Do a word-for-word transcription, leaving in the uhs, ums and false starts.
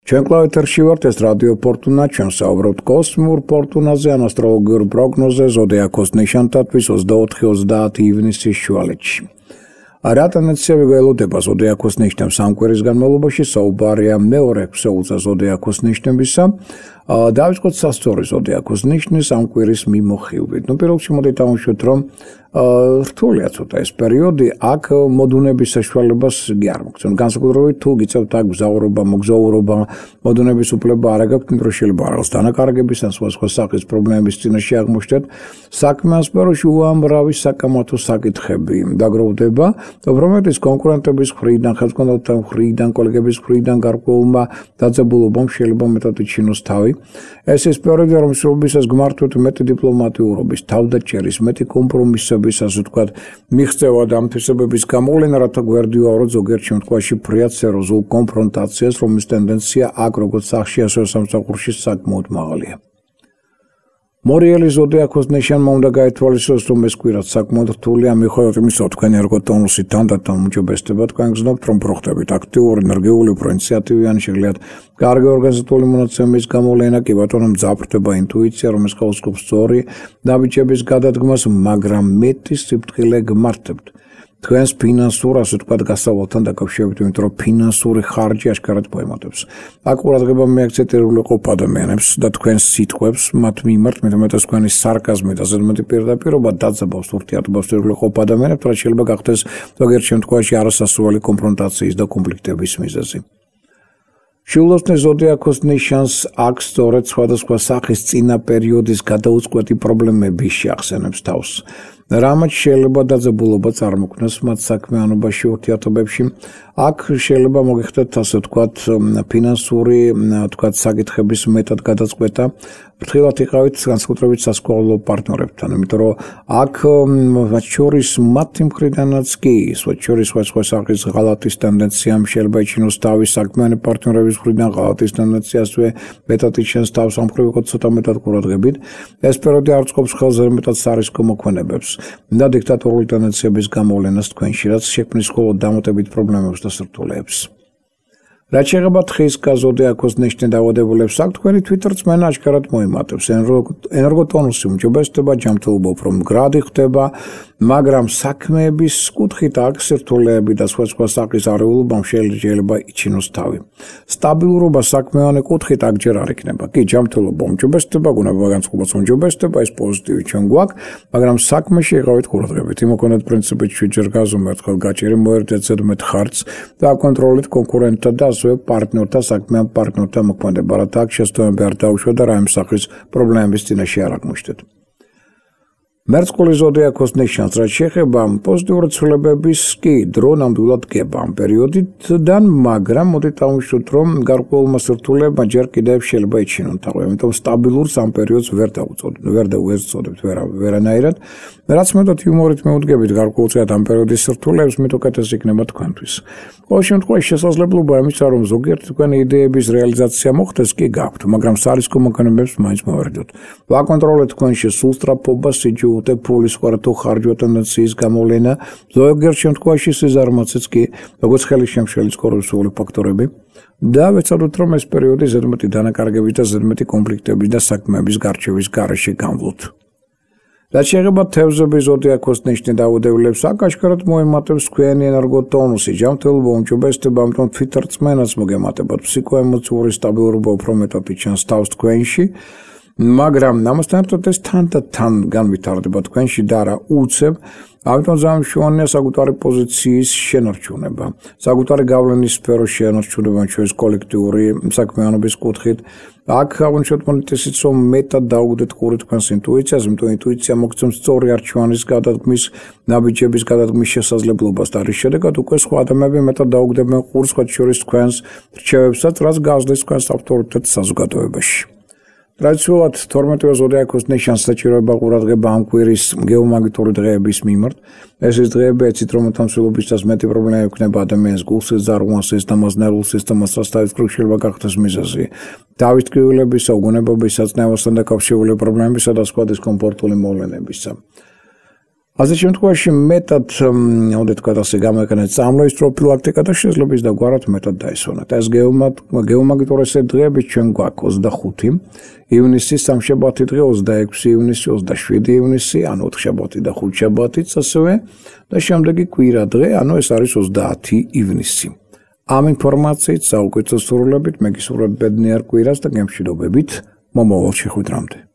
ჩვენ კლავეთერში ვართ, ეს რადიო ფორტუნა, ჩვენ საუბრობთ კოსმიურ ფორტუნაზე, ან ასტროლოგიურ პროგნოზზე, ზოდიაქოს ნიშანთათვის ოცდაოთხი ოცდაათი ივნისის შუალედში. რა ტენდენციები გველოდება ზოდიაქოს ნიშნებს ამ კვირის განმავლობაში, საუბარია მეორე ქსოულზე ზოდიაქოს ნიშნებისა. დავიწყოთ სასწორი ზოდიაქოს ნიშნის ამ კვირის მიმოხილვით. ნუ პირველში მოდით დავუშვათ, რომ რთულია ცოტა ეს პერიოდი, აქ მოდუნების საშუალებას კი არ მოგცემ. განსაკუთრებით თუ გიწევთ აქ გზაურობა, მოგზაურობა, მოდუნების უფლება არ აქვს, იმიტომ რომ შეიძლება რაღაც დანაკარგების ან სხვა სხვა სახის პრობლემების წინაშე აღმოჩნდეთ. საქმე სფეროში უამრავი საკამათო საკითხები დაგროვდება, უბრალოდ კონკურენტების მხრიდან, ხელმძღვანელთა მხრიდან, კოლეგების მხრიდან გარკვეულმა დაძაბულობამ შეიძლება მეტად იჩინოს თავი. ეს ის პერიოდი, რომ სულბისას გმართვით მეტი დიპლომატიურობის, თავდაჭერის, მეტი კომპრომისების, ასე ვთქვათ, მიღწევა და ამთვისებების გამოვლენა, რათა გვერდიუარო ზოგიერთ შემთხვევაში ფრიად სერიოზულ კონფრონტაციას, რომლის ტენდენცია აქ როგორც სახში, ასევე სამსახურში საკმაოდ მაღალია. მორიელი ზოდიაქოს ნიშანმა უნდა გაითვალისწინოს, რომ ეს კვირა საკმაოდ რთულია, მიუხედავად იმისა, თქვენი ერგოტონუსი თანდათან უმჯობესდება, თქვენ გზნობთ, რომ პროხდებით აქტიური, ენერგიული, პროინციატივიანი, შეგიძლიათ კარგი ორგანიზებული მონაცემის გამოვლენა, კი ბატონო მძაფრდება ინტუიცია, რომელიც ხელსგობს სწორი ნაბიჯების გადადგმას, მაგრამ მეტი სიფრთხილე გმართებთ. თქვენს ფინანსურ, ასე ვთქვათ, გასავალთან დაკავშირებით, იმიტომ რომ ფინანსური ხარჯი აშკარად მოემატებს. აქ ყურადღება მიაქცეთ ეროვნულყოფ ადამიანებს და თქვენს სიტყვებს, მათ მიმართ, მეტად თქვენი სარკაზმი და ზედმეტი პირდაპირობა დაძაბავს ურთიერთობას ეროვნულყოფ ადამიანებს, რაც შეიძლება გახდეს ზოგიერთ შემთხვევაში არასასრული კონფრონტაციის და კონფლიქტების მიზეზი. შილოსნის ზოდიაქოს ნიშანს აქ სწორედ სხვადასხვა სახის წინა პერიოდის გადაუწყვეტი პრობლემები შეახსენებს თავს. რამაც შეიძლება დაძაბულობა წარმოქმნას მათ საქმიანობაში, ურთიერთობებში. აქ შეიძლება მოგიხდეთ, ასე ვთქვათ, ფინანსური, ვთქვათ, საკითხების მეტად გადაწყვეტა. ფრთხილად იყავით განსაკუთრებით სასკოლო პარტნიორებთან, იმიტომ რომ აქ მათ შორის მათი მხრიდანაც კი, მათ შორის სხვა სხვა სახის ღალატის ტენდენციამ შეიძლება იჩინოს თავის საქმიანი პარტნიორების მხრიდან ღალატის ტენდენციასვე მეტად იჩენს თავს, ამ მხრივ ვიყოთ ცოტა მეტად ყურადღებით. ეს პერიოდი არ წყობს ხელზე მეტად სარისკო მოქმედებებს და დიქტატორული ტენდენციების გამოვლენას თქვენში, რაც შექმნის მხოლოდ დამატებით პრობლემებს და სირთულეებს. რაც შეეხება თხის ზოდიაქოს ნიშნის დაავადებულებს, აქ თქვენი თვითრწმენა აშკარად მოიმატებს, ენერგოტონუსი უმჯობესდება, ჯანმრთელობა უფრო მდგრადი ხდება, მაგრამ საქმეების კუთხით აქ სირთულეები და სხვა სხვა სახის არეულობამ შეიძლება იჩინოს თავი. სტაბილურობა საქმევანი კუთხით აქ ჯერ არ იქნება. კი, ჯანმრთელობა უმჯობესდება, გუნება განწყობაც უმჯობესდება, ეს პოზიტივი ჩვენ გვაქვს, მაგრამ საქმეში იყავით ყურადღებით. იმოქმედეთ პრინციპით შვიდჯერ გაზომ ერთხელ გაჭირი მოერდეთ ზედმეტ ხარჯს და აკონტროლეთ კონკურენტთა და ასევე პარტნიორთა, საქმიან პარტნიორთა მოქმედება, რათა აქ შესაბამები არ დაუშვათ და რაიმე სახის პრობლემების წინაშე არ აღმოჩნდეთ. მერწყული ზოდიაქოს ნიშანს, რაც შეეხება პოზიტიური ცვლილებების კი დრო ნამდვილად დგება ამ პერიოდიდან, მაგრამ მოდით დავუშვათ, რომ გარკვეულმა სირთულეებმა ჯერ კიდევ შეიძლება იჩინონ თავი, ამიტომ სტაბილურს ამ პერიოდს ვერ დავუწოდოთ, ვერ დავუწოდებთ ვერანაირად. რაც მეტად იუმორით მეუდგებით გარკვეულწილად ამ პერიოდის სირთულეებს, მით უკეთეს იქნება თქვენთვის. ყოველ შემთხვევაში შესაძლებლობა იმისა, რომ ზოგიერთი თქვენი იდეების რეალიზაცია მოხდეს, კი გაქვთ, მაგრამ სარისკო მოქმედებებს მაინც მოვერდოთ. ვაკონტროლეთ თქვენში სულსწრაფობა, სიჯულე, ფულის ხარჯ ხარჯვა ტენდენციის გამოვლენა, ზოგიერთ შემთხვევაში სიზარმაცეც კი, როგორც ხელის შემშლის კორუფციული ფაქტორები და ვეცადოთ, რომ ეს პერიოდი ზედმეტი დანაკარგების და ზედმეტი კონფლიქტების და საქმეების გარჩევის გარეშე განვლოთ. რაც შეეხება თევზების ზოდიაქოს ნიშნის დაავადებულებს, აქ აშკარად მოემატებს თქვენი ენერგოტონუსი, ჯანმრთელობა უმჯობესდება, ამიტომ თვითრწმენაც მოგემატებათ, ფსიქოემოციური სტაბილურობა უფრო მეტად იჩენს თავს თქვენში, მაგრამ ამასთან ერთად ეს თანდათან განვითარდება თქვენში და არა უცებ, ამიტომ ზამშვენია საკუთარი პოზიციის შენარჩუნება, საკუთარი გავლენის სფეროს შენარჩუნება ჩვენს კოლექტიური საქმიანობის კუთხით. აქ აღნიშნოთ მონიტესიც, რომ მეტად დაუგდეთ ყური თქვენს ინტუიციას, იმიტომ ინტუიცია მოგცემს სწორი არჩევანის გადადგმის, ნაბიჯების გადადგმის შესაძლებლობას და რის შედეგად უკვე სხვა ადამიანები მეტად დაუგდებენ ყურს, მათ შორის თქვენს რჩევებსაც, რაც გაზრდის თქვენს ავტორიტეტს საზოგადოებაში. ტრადიციულად თორმეტივე ზოდიაქოს ნიშანს საჭიროება ყურადღება ამ კვირის გეომაგნიტური დღეების მიმართ. ეს ის დღეები ეცით, რომ თამსილობისას მეტი პრობლემა ექნება ადამიანს გულსის ზარღვანსის და ნერვულ სისტემას, რაც თავისუფლად შეიძლება გახდეს მიზეზი. დავის ტკივილებისა, უგონებობისა, წნევასთან დაკავშირებული პრობლემებისა და სხვა დისკომფორტული მოვლენებისა. ასე შემთხვევაში მეტად უნდა თქვა ასე გამოიყენეთ წამლების პროფილაქტიკა და შესაძლოა და გვარად მეტად დაისვენოთ. ეს გეომაგნიტურესე დღეები ჩვენ გვაქვს ოცდახუთი ივნისი, სამშაბათი დღე ოცდაექვსი ივნისი, ოცდაშვიდი ივნისი, ანუ ოთხშაბათი და ხუთშაბათიც ასევე და შემდეგი კვირა დღე, ანუ ეს არის ოცდაათი ივნისი. ამ ინფორმაციით საუკეთესო სრულებით მე გისურვებ ბედნიერ კვირას და გემშვიდობებით მომავალ შეხვედრამდე.